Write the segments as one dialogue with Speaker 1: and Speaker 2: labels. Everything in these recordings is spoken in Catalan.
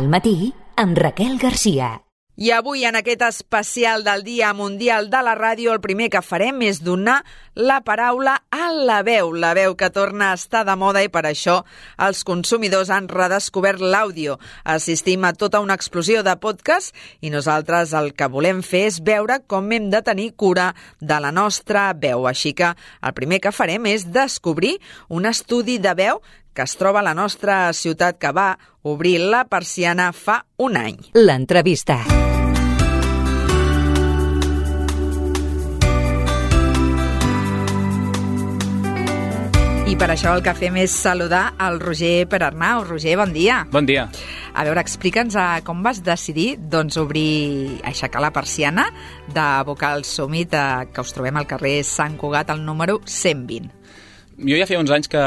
Speaker 1: Al matí, amb Raquel Garcia.
Speaker 2: I avui, en aquest especial del Dia Mundial de la Ràdio, el primer que farem és donar la paraula a la veu que torna a estar de moda, i per això els consumidors han redescobert l'àudio. Assistim a tota una explosió de podcast i nosaltres el que volem fer és veure com hem de tenir cura de la nostra veu. Així que el primer que farem és descobrir un estudi de veu que es troba a la nostra ciutat, que va obrir la persiana fa un any.
Speaker 1: L'entrevista.
Speaker 2: I per això el que fem és saludar el Roger Perarnau. Roger, bon dia.
Speaker 3: Bon dia.
Speaker 2: A veure, explica'ns com vas decidir aixecar la persiana de Vocal Summit, que us trobem al carrer Sant Cugat, al número 120.
Speaker 3: Jo ja feia uns anys que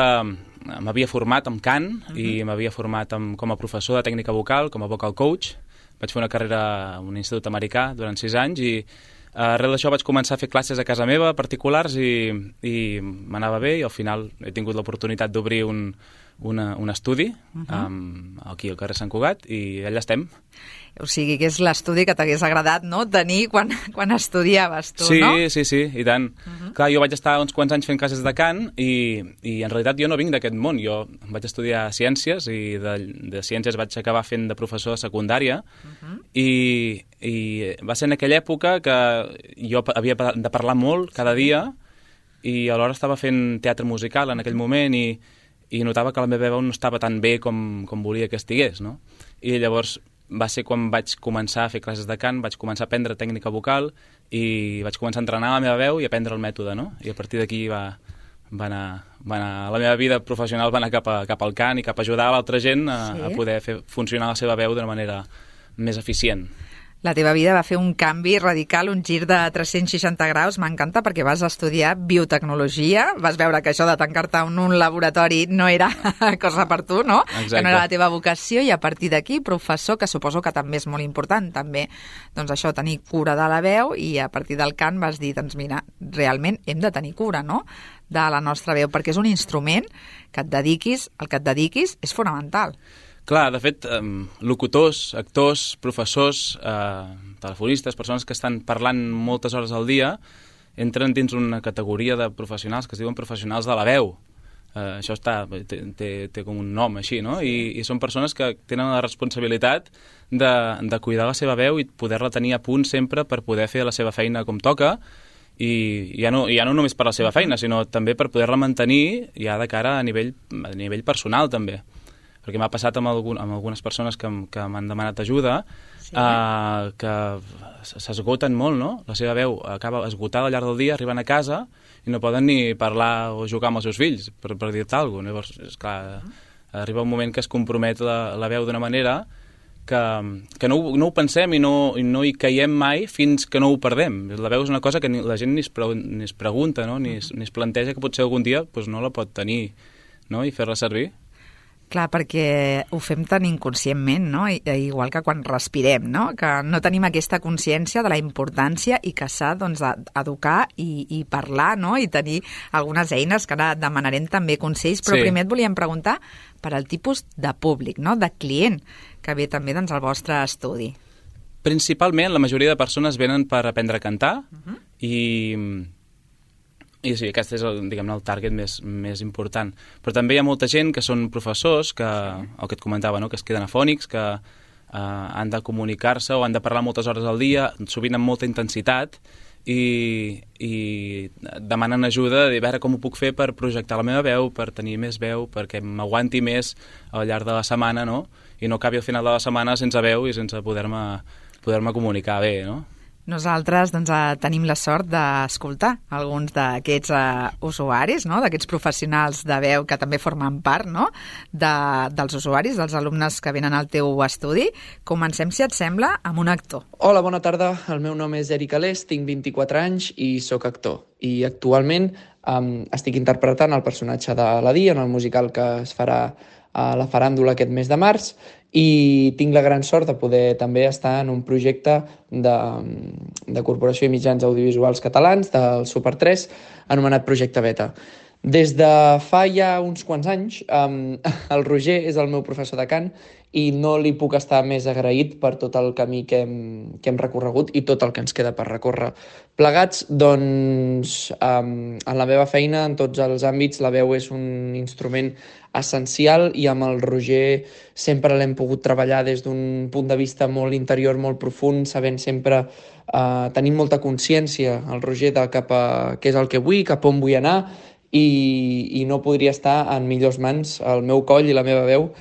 Speaker 3: m'havia format amb cant i m'havia format com a professor de tècnica vocal, com a vocal coach. Vaig fer una carrera a un institut americà durant 6 anys i arrel d'això vaig començar a fer classes a casa meva, particulars, i m'anava bé, i al final he tingut l'oportunitat d'obrir un estudi aquí al carrer Sant Cugat, i allà estem.
Speaker 2: O sigui que és l'estudi que t'hagués agradat, no?, tenir quan estudiaves tu,
Speaker 3: sí,
Speaker 2: no?
Speaker 3: Sí, i tant. Clar, jo vaig estar uns quants anys fent classes de cant i en realitat jo no vinc d'aquest món. Jo vaig estudiar ciències i de ciències vaig acabar fent de professor de secundària i va ser en aquella època que jo havia de parlar molt cada dia i alhora estava fent teatre musical en aquell moment i notava que la meva veu no estava tan bé com volia que estigués, no? I llavors va ser quan vaig començar a fer classes de cant, vaig començar a aprendre tècnica vocal i vaig començar a entrenar la meva veu i aprendre el mètode, no? I a partir d'aquí va anar la meva vida professional va anar cap al cant i cap a ajudar a l'altra gent a poder fer funcionar la seva veu d'una manera més eficient.
Speaker 2: La teva vida va fer un canvi radical, un gir de 360 graus. M'encanta perquè vas estudiar biotecnologia, vas veure que això de tancar-te en un laboratori no era cosa per tu, no?
Speaker 3: Exacte.
Speaker 2: Que no era la teva vocació, i a partir d'aquí, professor, que suposo que també és molt important, també, doncs això, tenir cura de la veu, i a partir del cant vas dir, doncs mira, realment hem de tenir cura, no?, de la nostra veu, perquè és un instrument que al que et dediquis és fonamental.
Speaker 3: Clar, de fet, locutors, actors, professors, telefonistes, persones que estan parlant moltes hores al dia, entren dins una categoria de professionals que es diuen professionals de la veu. Això té com un nom així, no? I són persones que tenen la responsabilitat de cuidar la seva veu i poder-la tenir a punt sempre per poder fer la seva feina com toca, i ja no només per la seva feina, sinó també per poder-la mantenir ja de cara a nivell personal, també. Perquè m'ha passat amb algunes persones que m'han demanat ajuda, que s'esgoten molt, no? La seva veu acaba esgotada al llarg del dia, arriben a casa i no poden ni parlar o jugar amb els seus fills, per dir-te alguna cosa. Llavors, esclar, arriba un moment que es compromet la veu d'una manera que no ho pensem i no hi caiem mai fins que no ho perdem. La veu és una cosa que la gent ni es pregunta, no? Ni es planteja que potser algun dia no la pot tenir, no? I fer-la servir.
Speaker 2: Clar, perquè ho fem tan inconscientment, no? Igual que quan respirem, no? Que no tenim aquesta consciència de la importància i que s'ha, doncs, d'educar i parlar, no? I tenir algunes eines, que ara demanarem també consells, però primer et volíem preguntar per al tipus de públic, no?, de client que ve també, doncs, al vostre estudi.
Speaker 3: Principalment, la majoria de persones venen per aprendre a cantar i sí, aquest és el target més important. Però també hi ha molta gent que són professors, el que et comentava, no?, que es queden afònics, que han de comunicar-se o han de parlar moltes hores al dia, sovint amb molta intensitat, i demanen ajuda de veure com ho puc fer per projectar la meva veu, per tenir més veu, perquè m'aguanti més al llarg de la setmana, no?, i no acabi al final de la setmana sense veu i sense poder-me comunicar bé, no?
Speaker 2: Nosaltres, doncs, tenim la sort d'escoltar alguns d'aquests usuaris, no?, d'aquests professionals de veu que també formen part, no?, dels usuaris, dels alumnes que venen al teu estudi. Comencem, si et sembla, amb un actor.
Speaker 4: Hola, bona tarda. El meu nom és Eric Alés, tinc 24 anys i sóc actor. I actualment estic interpretant el personatge de l'Aladí en el musical que es farà a la faràndula aquest mes de març, i tinc la gran sort de poder també estar en un projecte de Corporació i Mitjans Audiovisuals Catalans, del Super 3, anomenat Projecte Beta. Des de fa ja uns quants anys, el Roger és el meu professor de cant i no li puc estar més agraït per tot el camí que hem recorregut i tot el que ens queda per recórrer. Plegats, doncs, en la meva feina, en tots els àmbits, la veu és un instrument essencial i amb el Roger sempre l'hem pogut treballar des d'un punt de vista molt interior, molt profund, sabent sempre tenint molta consciència el Roger de cap a què és el que vull, cap on vull anar i no podria estar en millors mans el meu coll i la meva veu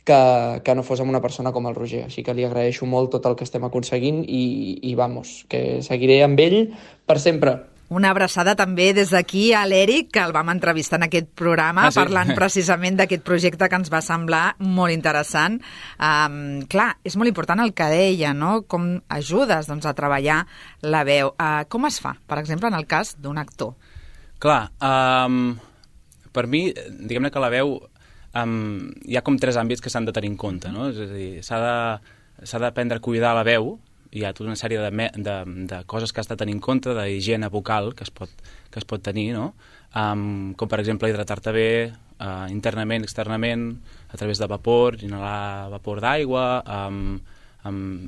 Speaker 4: que no fos amb una persona com el Roger. Així que li agraeixo molt tot el que estem aconseguint i vamos, que seguiré amb ell per sempre.
Speaker 2: Una abraçada també des d'aquí a l'Eric, que el vam entrevistar en aquest programa, parlant precisament d'aquest projecte que ens va semblar molt interessant. Clar, és molt important el que deia, no? Com ajudes a treballar la veu. Com es fa, per exemple, en el cas d'un actor?
Speaker 3: Clar, per mi, diguem-ne que la veu hi ha com 3 àmbits que s'han de tenir en compte, no? És a dir, s'ha d'aprendre a cuidar la veu. Hi ha tota una sèrie de coses que has de tenir en compte, d'higiene vocal que es pot tenir, no? Com per exemple hidratar-te bé internament, externament, a través de vapor, inhalar vapor d'aigua,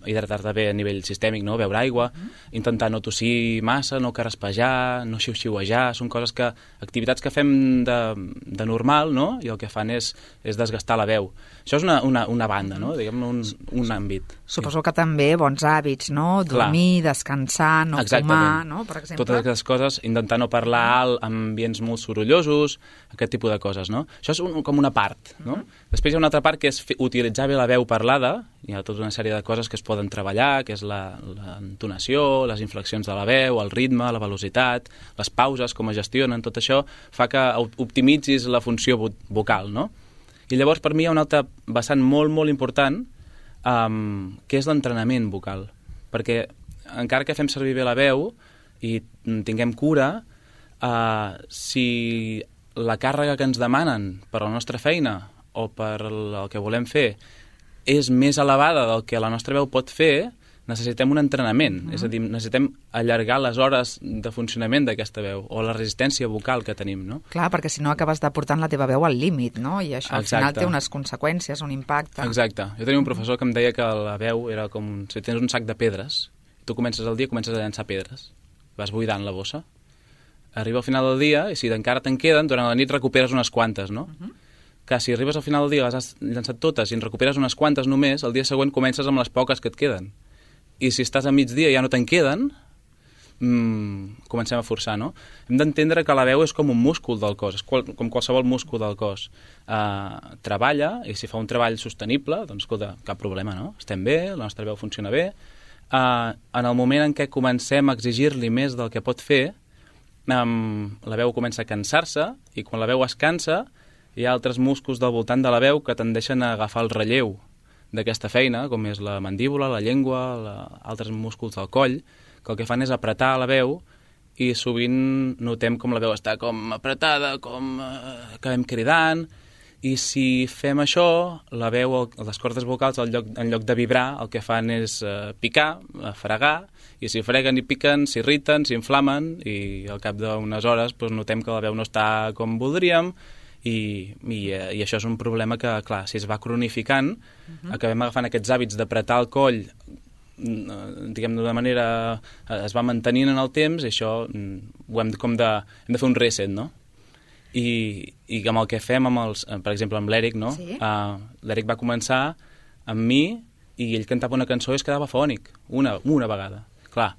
Speaker 3: hidratar-te bé a nivell sistèmic, no? Beure aigua, intentar no tossir massa, no carraspejar, no xiu-xiuejar, són coses activitats que fem de normal, no? I el que fan és desgastar la veu. Això és una banda, no? Diguem-ne un àmbit.
Speaker 2: Suposo que també bons hàbits, no? Dormir, descansar, no fumar, no? Per exemple.
Speaker 3: Totes aquestes coses, intentar no parlar alt en ambients molt sorollosos, aquest tipus de coses, no? Això és com una part, no? Després hi ha una altra part que és utilitzar bé la veu parlada. Hi ha tota una sèrie de coses que es poden treballar, que és l'entonació, les inflexions de la veu, el ritme, la velocitat, les pauses, com es gestionen, tot això fa que optimitzis la funció vocal, no? I llavors per mi hi ha un altre vessant molt, molt important, que és l'entrenament vocal. Perquè encara que fem servir bé la veu i tinguem cura, si la càrrega que ens demanen per la nostra feina o per el que volem fer és més elevada del que la nostra veu pot fer, necessitem un entrenament. És a dir, necessitem allargar les hores de funcionament d'aquesta veu o la resistència vocal que tenim, no?
Speaker 2: Clar, perquè si no acabes de portant la teva veu al límit, no? I això al final té unes conseqüències, un impacte.
Speaker 3: Exacte. Jo tenia un professor que em deia que la veu era com si tens un sac de pedres. Tu comences el dia i comences a llançar pedres. Vas buidant la bossa. Arriba al final del dia i si encara te'n queden, durant la nit recuperes unes quantes, no? Que si arribes al final del dia, les has llançat totes i en recuperes unes quantes només, el dia següent comences amb les poques que et queden. I si estàs a migdia i ja no te'n queden, comencem a forçar, no? Hem d'entendre que la veu és com un múscul del cos, és com qualsevol múscul del cos. Treballa, i si fa un treball sostenible, doncs, escolta, cap problema, no? Estem bé, la nostra veu funciona bé. En el moment en què comencem a exigir-li més del que pot fer, la veu comença a cansar-se, i quan la veu es cansa, hi ha altres músculs del voltant de la veu que tendeixen a agafar el relleu d'aquesta feina, com és la mandíbula, la llengua, altres músculs del coll, que el que fan és apretar la veu i sovint notem com la veu està com apretada, com acabem cridant, i si fem això, la veu, les cordes vocals, en lloc de vibrar, el que fan és picar, fregar, i si freguen i piquen, s'irriten, s'inflamen, i al cap d'unes hores notem que la veu no està com voldríem, i això és un problema que, clar, si es va cronificant, acabem agafant aquests hàbits d'apretar el coll, diguem d'una manera, es va mantenint en el temps, i això hem de fer un reset, no? I amb el que fem, per exemple, amb l'Eric, no? Sí. L'Eric va començar amb mi i ell cantava una cançó i es quedava fònic, una vegada. Clar,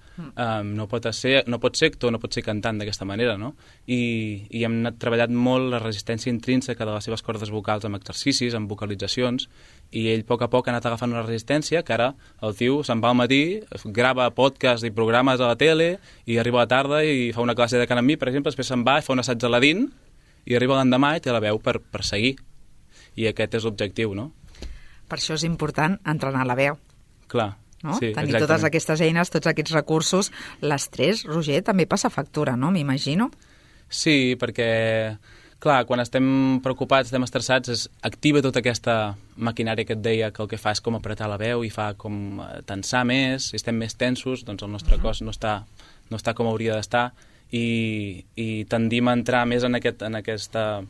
Speaker 3: no pot ser actor, no pot ser cantant d'aquesta manera, no? I hem treballat molt la resistència intrínseca de les seves cordes vocals amb exercicis, amb vocalitzacions, i ell a poc ha anat agafant una resistència que ara el tio se'n va al matí, grava podcast i programes a la tele, i arriba a la tarda i fa una classe de cant amb mi, per exemple, després se'n va i fa un assaig a l'Adin, i arriba l'endemà i té la veu per seguir. I aquest és l'objectiu, no?
Speaker 2: Per això és important entrenar la veu.
Speaker 3: Clar.
Speaker 2: No?
Speaker 3: Sí,
Speaker 2: tenir
Speaker 3: exactament.
Speaker 2: totes aquestes eines, tots aquests recursos. L'estrès, Roger, també passa factura, no? M'imagino.
Speaker 3: Sí, perquè, clar, quan estem preocupats, estem estressats, activa tota aquesta maquinària que et deia que el que fa és com apretar la veu i fa com tensar més, si estem més tensos, doncs el nostre cos no està com hauria d'estar i tendim a entrar més en aquesta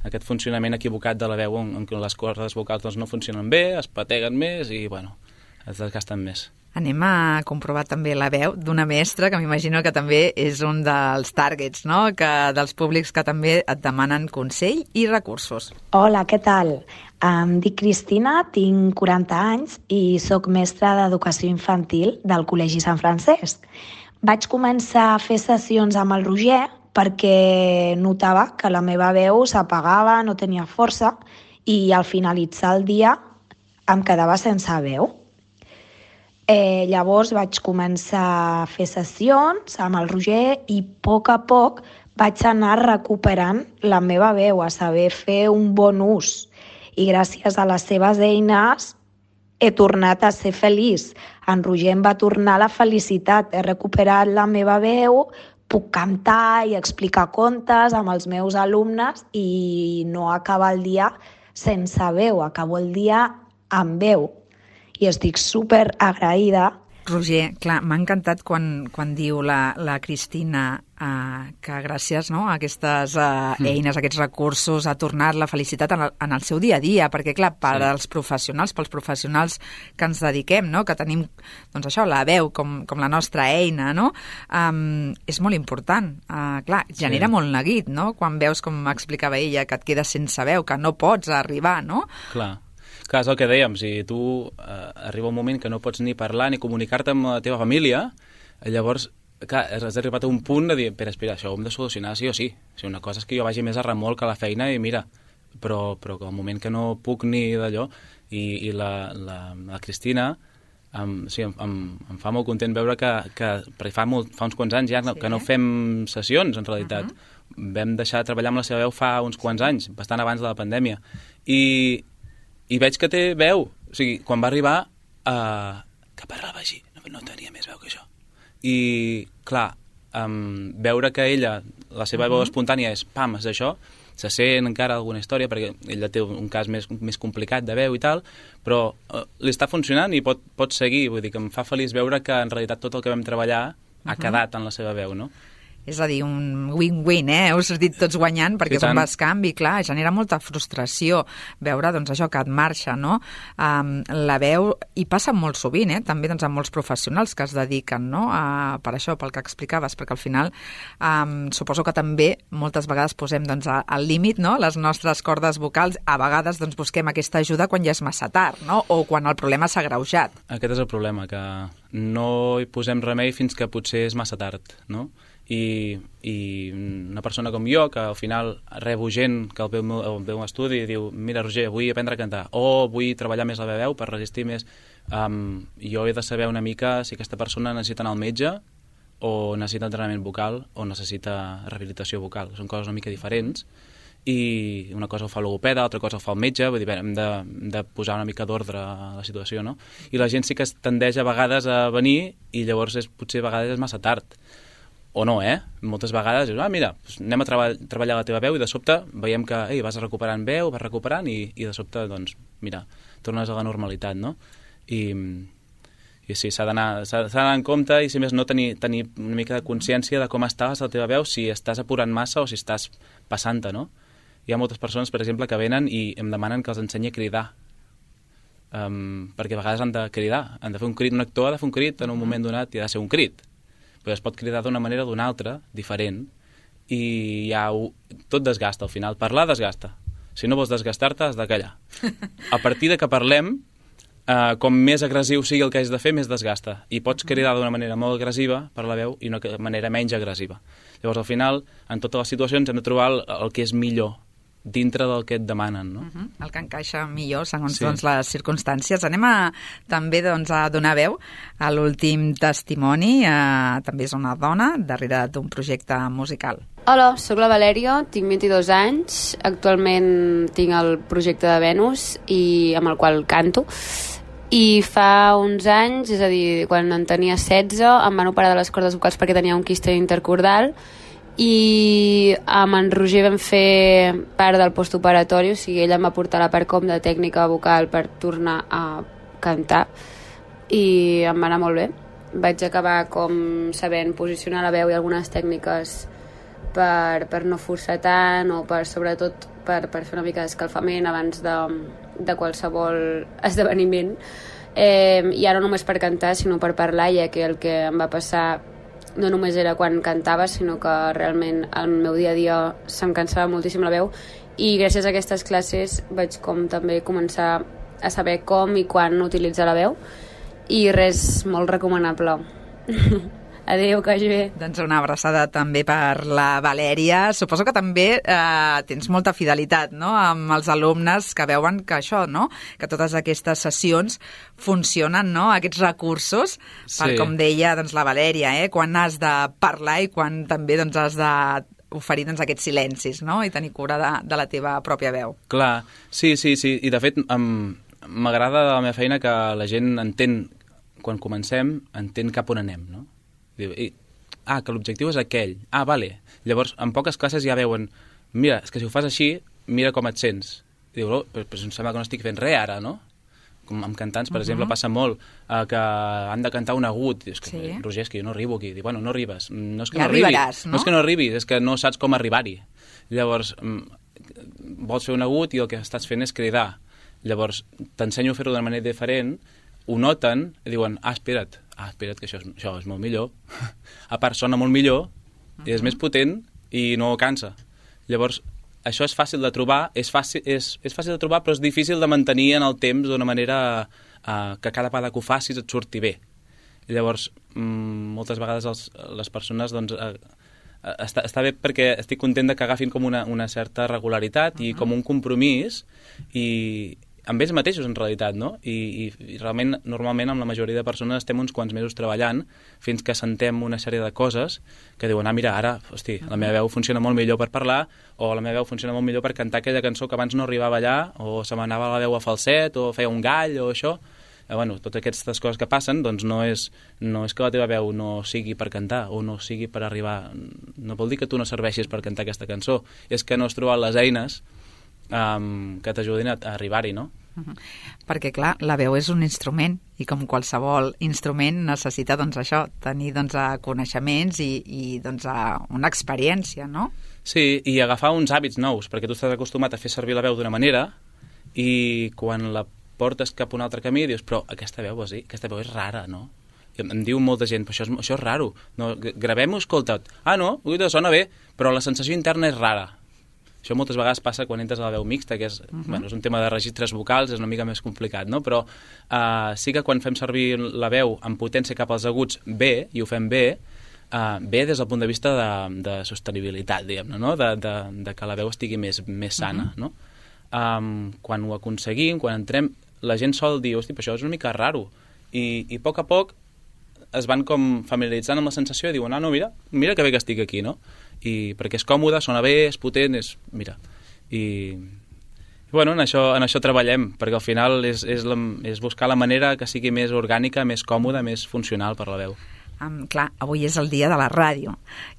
Speaker 3: aquest funcionament equivocat de la veu en què les cordes vocals doncs, no funcionen bé, es pateguen més i bueno, es desgasten més.
Speaker 2: Anem a comprovar també la veu d'una mestra, que m'imagino que també és un dels targets, no? Dels públics que també et demanen consell i recursos.
Speaker 5: Hola, què tal? Em dic Cristina, tinc 40 anys i sóc mestra d'educació infantil del Col·legi Sant Francesc. Vaig començar a fer sessions amb el Roger perquè notava que la meva veu s'apagava, no tenia força i al finalitzar el dia em quedava sense veu. Llavors vaig començar a fer sessions amb el Roger i a poc vaig anar recuperant la meva veu, a saber fer un bon ús. I gràcies a les seves eines he tornat a ser feliç. En Roger em va tornar la felicitat. He recuperat la meva veu, puc cantar i explicar contes amb els meus alumnes i no acabar el dia sense veu, acabo el dia amb veu. I estic super agraïda.
Speaker 2: Roger, clar, m'ha encantat quan diu la Cristina que gràcies a aquestes eines, a aquests recursos, ha tornat la felicitat en el seu dia a dia, perquè clar, pels professionals que ens dediquem, que tenim doncs això, la veu com la nostra eina, és molt important. Clar, genera molt neguit, quan veus, com explicava ella, que et quedes sense veu, que no pots arribar, no?
Speaker 3: Clar, és el que dèiem, si tu arriba un moment que no pots ni parlar ni comunicar-te amb la teva família, llavors, clar, has arribat a un punt de dir, espera, això ho hem de solucionar sí o sí. Una cosa és que jo vagi més a remolc a la feina i mira, però al moment que no puc ni d'allò, i la Cristina em fa molt content veure que perquè fa uns quants anys ja que no fem sessions, en realitat. Vam deixar de treballar amb la seva veu fa uns quants anys, bastant abans de la pandèmia. I veig que té veu. O sigui, quan va arribar, que parlava així, no tenia més veu que això. I, clar, veure que ella, la seva veu espontània és, és això, se sent encara alguna història, perquè ella té un cas més complicat de veu i tal, però li està funcionant i pot seguir. Vull dir que em fa feliç veure que en realitat tot el que vam treballar ha quedat en la seva veu, no?
Speaker 2: És a dir, un win-win, heu sortit tots guanyant, perquè és un bescanvi, clar, genera molta frustració veure, doncs, això que et marxa, no? La veu, i passa molt sovint, també doncs, amb molts professionals que es dediquen, no? Per això, pel que explicaves, perquè al final suposo que també moltes vegades posem doncs, al límit, no? Les nostres cordes vocals, a vegades doncs, busquem aquesta ajuda quan ja és massa tard, no? O quan el problema s'ha agreujat.
Speaker 3: Aquest és el problema, que no hi posem remei fins que potser és massa tard, no? I una persona com jo, que al final rebo gent que el veu a estudi i diu, mira Roger, vull aprendre a cantar o vull treballar més la meva veu per resistir més, jo he de saber una mica si aquesta persona necessita anar al metge o necessita entrenament vocal o necessita rehabilitació vocal. Són coses una mica diferents i una cosa ho fa el logopeda, l'altra cosa ho fa el metge, vull dir, hem de posar una mica d'ordre a la situació, no? I la gent sí que es tendeix a vegades a venir i llavors potser a vegades és massa tard. O no, moltes vegades dius, mira, anem a treballar la teva veu i de sobte veiem que vas recuperant veu, vas recuperant i de sobte, doncs, mira, tornes a la normalitat, no? I sí, s'ha d'anar en compte i, si més no, tenir una mica de consciència de com estàs la teva veu, si estàs apurant massa o si estàs passant-te, no? Hi ha moltes persones, per exemple, que venen i em demanen que els ensenyi a cridar, perquè a vegades han de cridar, han de fer un crit, un actor ha de fer un crit en un moment donat i ha de ser un crit, però es pot cridar d'una manera o d'una altra, diferent, i tot desgasta al final. Parlar desgasta. Si no vols desgastar-te, has de callar. A partir de que parlem, com més agressiu sigui el que has de fer, més desgasta. I pots cridar d'una manera molt agressiva per la veu i una manera menys agressiva. Llavors, al final, en totes les situacions hem de trobar el que és millor dintre del que et demanen, no?
Speaker 2: El que encaixa millor segons doncs, les circumstàncies. Anem també doncs, a donar veu a l'últim testimoni. També és una dona darrere d'un projecte musical.
Speaker 6: Hola, sóc la Valèria, tinc 22 anys. Actualment tinc el projecte de Venus amb el qual canto. I fa uns anys, és a dir, quan en tenia 16, em van operar de les cordes vocals perquè tenia un quiste intercordal i amb en Roger vam fer part del postoperatori, o sigui, ella em va portar la part com de tècnica vocal per tornar a cantar i em va anar molt bé. Vaig acabar com sabent posicionar la veu i algunes tècniques per no forçar tant o sobretot per fer una mica d'escalfament abans de qualsevol esdeveniment. I ara no només per cantar, sinó per parlar, ja que el que em va passar no només era quan cantava, sinó que realment el meu dia a dia se'm cansava moltíssim la veu, i gràcies a aquestes classes vaig com també començar a saber com i quan utilitzar la veu, i res, molt recomanable. Adéu, que vagi bé.
Speaker 2: Doncs una abraçada també per la Valèria. Suposo que també tens molta fidelitat, no?, amb els alumnes que veuen que això, no?, que totes aquestes sessions funcionen, no?, aquests recursos, per, com deia doncs, la Valèria, quan has de parlar i quan també doncs, has de oferir doncs, aquests silencis, no?, i tenir cura de la teva pròpia veu.
Speaker 3: Clar, sí, i de fet m'agrada de la meva feina que la gent entén, quan comencem, entén cap on anem, no? Diu, que l'objectiu és aquell. Vale. Llavors, en poques classes ja veuen, mira, és que si ho fas així, mira com et sents. Diu, però em sembla que no estic fent res ara, no? Com amb cantants, per exemple, passa molt que han de cantar un agut. Dius, Roger, és que jo no arribo aquí. Diu, bueno, no arribes. No és que
Speaker 2: ja
Speaker 3: no arribis,
Speaker 2: arribaràs, no?
Speaker 3: No és que no arribis, és que no saps com arribar-hi. Llavors, vols fer un agut i el que estàs fent és cridar. Llavors, t'ensenyo a fer-ho d'una manera diferent, ho noten i diuen, espera't, que això és molt millor. A part, sona molt millor, és més potent i no cansa. Llavors, això és fàcil de trobar, és fàcil de trobar, però és difícil de mantenir en el temps d'una manera que cada vegada que ho facis et surti bé. Llavors, moltes vegades les persones, doncs, està bé perquè estic content que agafin com una certa regularitat i com un compromís i amb ells mateixos, en realitat, no? I realment, normalment, amb la majoria de persones estem uns quants mesos treballant fins que sentem una sèrie de coses que diuen, mira, ara, hosti, la meva veu funciona molt millor per parlar, o la meva veu funciona molt millor per cantar aquella cançó que abans no arribava allà, o se m'anava la veu a falset, o feia un gall, o això. Bueno, totes aquestes coses que passen, doncs no és que la teva veu no sigui per cantar, o no sigui per arribar... No vol dir que tu no serveixis per cantar aquesta cançó, és que no has trobat les eines que t'ajudin a arribar-hi, no?
Speaker 2: Perquè, clar, la veu és un instrument i com qualsevol instrument necessita, doncs, això, tenir, doncs, coneixements i doncs, una experiència, no?
Speaker 3: Sí, i agafar uns hàbits nous, perquè tu estàs acostumat a fer servir la veu d'una manera i quan la portes cap a un altre camí dius, però aquesta veu és rara, no? I em diu molta gent, però això és raro. No, gravem-ho, escolta't. No, sona bé, però la sensació interna és rara. Això moltes vegades passa quan entres a la veu mixta, que és, bueno, és un tema de registres vocals, és una mica més complicat, no? Però sí que quan fem servir la veu amb potència cap als aguts bé, i ho fem bé, bé des del punt de vista de sostenibilitat, diguem-ne, no? De que la veu estigui més sana, no? Quan ho aconseguim, quan entrem, la gent sol dir, hosti, però això és una mica raro. I a poc es van com familiaritzant amb la sensació i diuen, no, mira que bé que estic aquí, no? I perquè és còmode, sona bé, és potent, mira. I bueno, en això treballem, perquè al final és buscar la manera que sigui més orgànica, més còmoda, més funcional per la veu.
Speaker 2: Clar, avui és el dia de la ràdio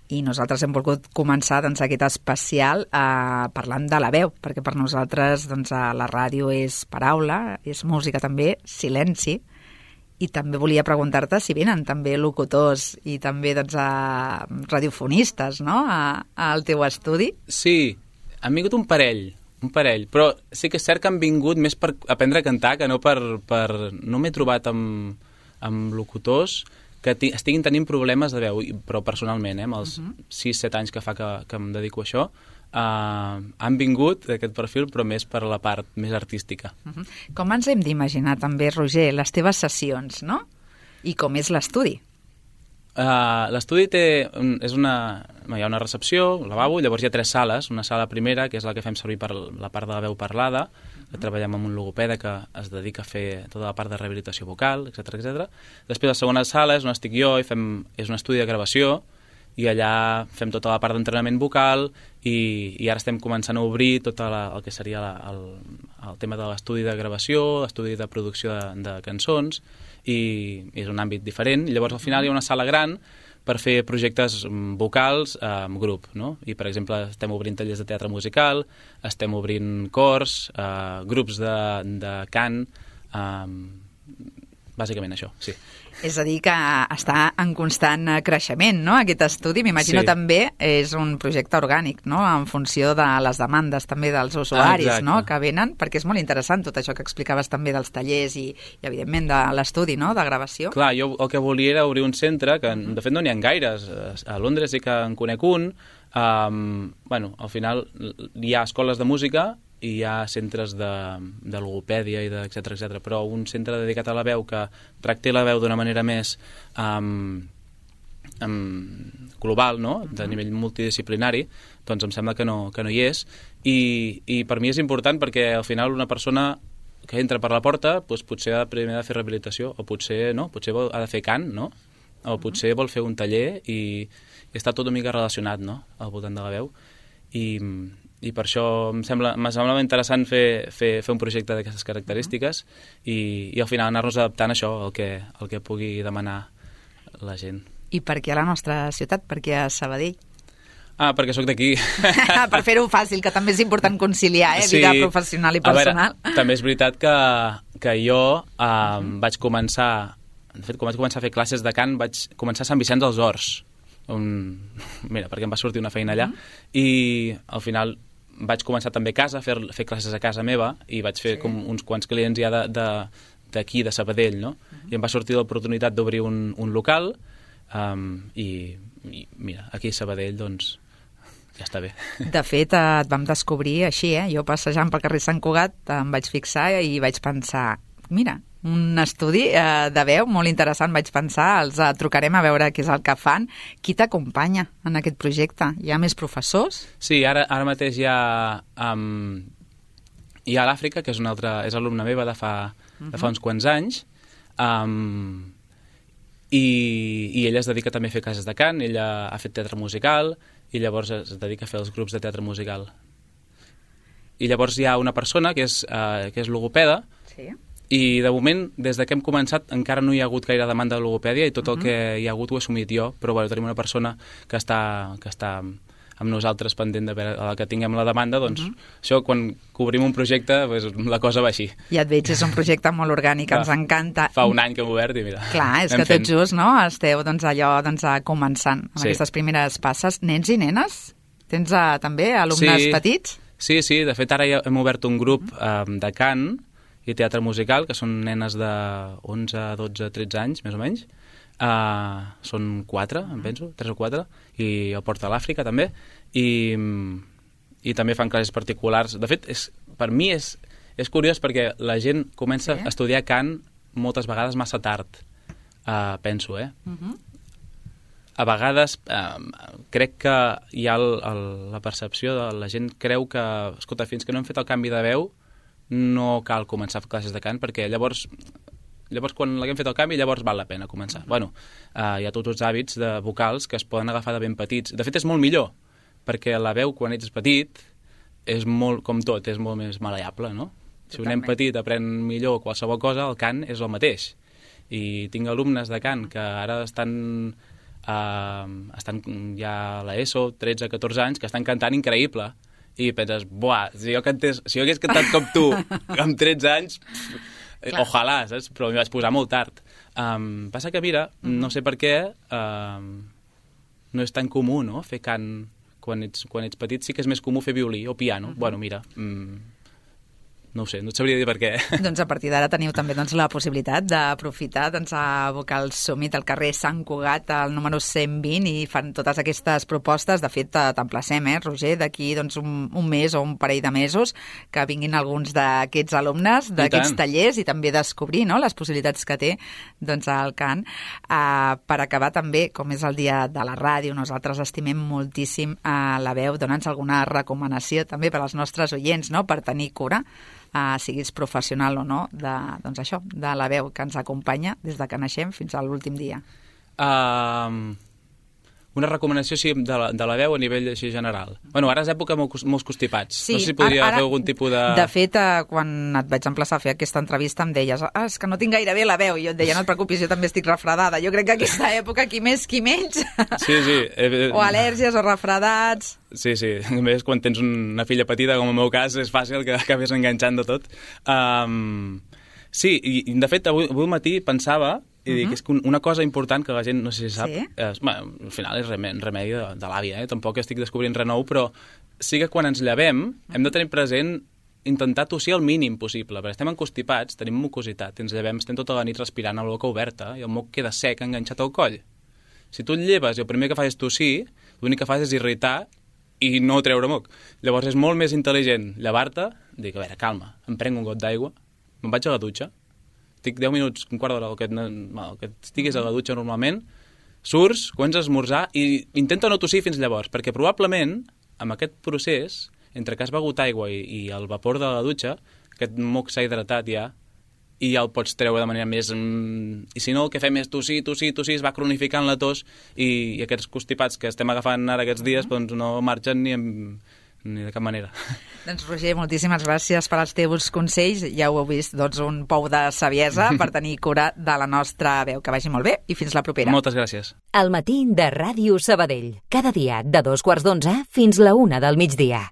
Speaker 2: i nosaltres hem volgut començar doncs, aquest especial parlant de la veu, perquè per nosaltres doncs, la ràdio és paraula, és música també, silenci. I també volia preguntar-te si venen també locutors i també doncs, radiofonistes, no?, al teu estudi.
Speaker 3: Sí, han vingut un parell, però sí que és cert que han vingut més per aprendre a cantar que no per... No m'he trobat amb locutors que estiguin tenint problemes de veu, però personalment, amb els 6-7 anys que fa que em dedico a això, han vingut d'aquest perfil, però més per la part més artística.
Speaker 2: Com ens hem d'imaginar també, Roger, les teves sessions, no? I com és l'estudi?
Speaker 3: L'estudi hi ha una recepció, un lavabo, llavors hi ha 3 sales. Una sala primera, que és la que fem servir per la part de la veu parlada, que treballem amb un logopeda que es dedica a fer tota la part de rehabilitació vocal, etc. Després la segona sala és on estic jo i és un estudi de gravació, i allà fem tota la part d'entrenament vocal i ara estem començant a obrir tot el que seria el tema de l'estudi de gravació, l'estudi de producció de cançons, i és un àmbit diferent. Llavors al final hi ha una sala gran per fer projectes vocals amb grup, no? I per exemple estem obrint tallers de teatre musical, estem obrint cors, grups de cant, bàsicament això, sí.
Speaker 2: És a dir, que està en constant creixement, no?, aquest estudi. M'imagino també és un projecte orgànic, no?, en funció de les demandes també dels usuaris, no?, que venen, perquè és molt interessant tot això que explicaves també dels tallers i evidentment, de l'estudi, no?, de gravació.
Speaker 3: Clar, jo el que volia era obrir un centre, que de fet no n'hi ha gaires. A Londres sí que en conec un. Bueno, al final hi ha escoles de música i hi ha centres de logopèdia i etcètera, però un centre dedicat a la veu que tracti la veu d'una manera més global, no?, de nivell multidisciplinari, doncs em sembla que no hi és, i per mi és important perquè al final una persona que entra per la porta doncs potser ha primer de fer rehabilitació, o potser no, potser ha de fer cant, no?, o potser vol fer un taller i està tot una mica relacionat, no?, al voltant de la veu, i per això em semblava interessant fer un projecte d'aquestes característiques i al final anar-nos adaptant a això, el que pugui demanar la gent.
Speaker 2: I per què a la nostra ciutat? Per què a Sabadell?
Speaker 3: Perquè sóc d'aquí.
Speaker 2: Per fer-ho fàcil, que també és important conciliar, vida professional i personal.
Speaker 3: A veure, també és veritat que jo vaig començar, de fet, quan vaig començar a fer classes de cant, vaig començar a Sant Vicenç dels Horts, mira, perquè em va sortir una feina allà, i al final vaig començar també a casa, a fer classes a casa meva, i vaig fer com uns quants clients ja d'aquí, de Sabadell, no? I em va sortir l'oportunitat d'obrir un local, i mira, aquí a Sabadell, doncs, ja està bé.
Speaker 2: De fet, et vam descobrir així, jo passejant pel carrer Sant Cugat em vaig fixar i vaig pensar, mira, un estudi de veu molt interessant, vaig pensar, els trucarem a veure què és el que fan. Qui t'acompanya en aquest projecte? Hi ha més professors?
Speaker 3: Sí, ara mateix hi ha l'Àfrica, que és alumna meva de fa uns quants anys, i ella es dedica també a fer classes de cant, ella ha fet teatre musical, i llavors es dedica a fer els grups de teatre musical. I llavors hi ha una persona que és logopeda, i de moment, des que hem començat, encara no hi ha hagut gaire demanda de logopèdia i tot el que hi ha hagut ho he assumit jo, però bueno, tenim una persona que està amb nosaltres pendent de veure que tinguem la demanda, doncs això, quan cobrim un projecte, pues, la cosa va així.
Speaker 2: Ja et veig, és un projecte molt orgànic, ens encanta.
Speaker 3: Fa un any que hem obert i mira...
Speaker 2: Clar, és que tot just, no?, esteu començant amb aquestes primeres passes. Nens i nenes? Tens també alumnes petits?
Speaker 3: Sí, de fet ara ja hem obert un grup de cant i teatre musical, que són nenes de 11, 12, 13 anys, més o menys. Són 4, em penso, 3 o 4, i el porta a l'Àfrica també, i també fan classes particulars. De fet, per mi és curiós perquè la gent comença a estudiar cant moltes vegades massa tard, penso, A vegades crec que hi ha la percepció de la gent creu que, escolta, fins que no hem fet el canvi de veu no cal començar a fer classes de cant, perquè llavors quan l'haguem fet el canvi, llavors val la pena començar. Bueno, hi ha tots els hàbits vocals que es poden agafar de ben petits. De fet, és molt millor, perquè la veu, quan ets petit, és molt, com tot, és molt més maleable, no? Si un nen petit aprèn millor qualsevol cosa, el cant és el mateix. I tinc alumnes de cant que ara estan ja a l'ESO, 13-14 anys, que estan cantant increïble. I penses, buah, si jo hagués cantat com tu amb 13 anys, ojalà, saps? Però m'hi vaig posar molt tard. Passa que, mira, no sé per què no és tan comú, no?, fer cant quan ets petit. Sí que és més comú fer violí o piano. Bueno, mira, no ho sé, no et sabria dir per què.
Speaker 2: Doncs a partir d'ara teniu també la possibilitat d'aprofitar a Vocal Summit al carrer Sant Cugat, al número 120, i fan totes aquestes propostes. De fet, t'emplacem, Roger, d'aquí un mes o un parell de mesos, que vinguin alguns d'aquests alumnes, d'aquests tallers, i també descobrir, no?, les possibilitats que té el cant. Per acabar també, com és el dia de la ràdio, nosaltres estimem moltíssim la veu. Dona'ns alguna recomanació també per als nostres oients, no?, per tenir cura, siguis professional o no, de la veu que ens acompanya des que naixem fins a l'últim dia.
Speaker 3: Una recomanació, sí, de la veu a nivell així general. Bueno, ara és època molts constipats.
Speaker 2: Sí,
Speaker 3: no sé si podria fer algun tipus de...
Speaker 2: De fet, quan et vaig emplaçar a fer aquesta entrevista em deies, és que no tinc gaire bé la veu, i jo et deia, no et preocupis, jo també estic refredada. Jo crec que aquesta època, qui més, qui menys.
Speaker 3: Sí.
Speaker 2: O al·lèrgies o refredats.
Speaker 3: Sí. A més, quan tens una filla petita, com en el meu cas, és fàcil que acabés enganxant de tot. Sí, i de fet avui al matí pensava i dic, és que una cosa important que la gent no sé si sap, al final és remei de l'àvia, tampoc estic descobrint res nou, però sí que quan ens llevem hem de tenir present intentar tossir el mínim possible, perquè estem encostipats, tenim mucositat, ens llevem, estem tota la nit respirant amb la boca oberta i el moc queda sec, enganxat al coll. Si tu et lleves i el primer que fas és tossir, l'únic que fas és irritar i no treure moc. Llavors és molt més intel·ligent llevar-te, dir, a veure, calma, em prenc un got d'aigua, me'n vaig a la dutxa, estic 10 minuts, un quart d'hora, el que estiguis a la dutxa normalment, surts, comences a esmorzar i intenta no tossir fins llavors, perquè probablement, amb aquest procés, entre que has begut aigua i el vapor de la dutxa, aquest moc s'ha hidratat ja, i ja el pots treure de manera més... I si no, el que fem és tossir, es va cronificant la tos i aquests constipats que estem agafant ara aquests dies doncs no marxen ni de cap manera.
Speaker 2: Doncs Roger, moltíssimes gràcies per als teus consells. Ja ho heu vist, doncs un pou de saviesa per tenir cura de la nostra veu. Que vagi molt bé i fins la propera.
Speaker 3: Moltes gràcies.
Speaker 1: Al matí de Ràdio Sabadell. Cada dia de 2:15 fins la 1 del migdia.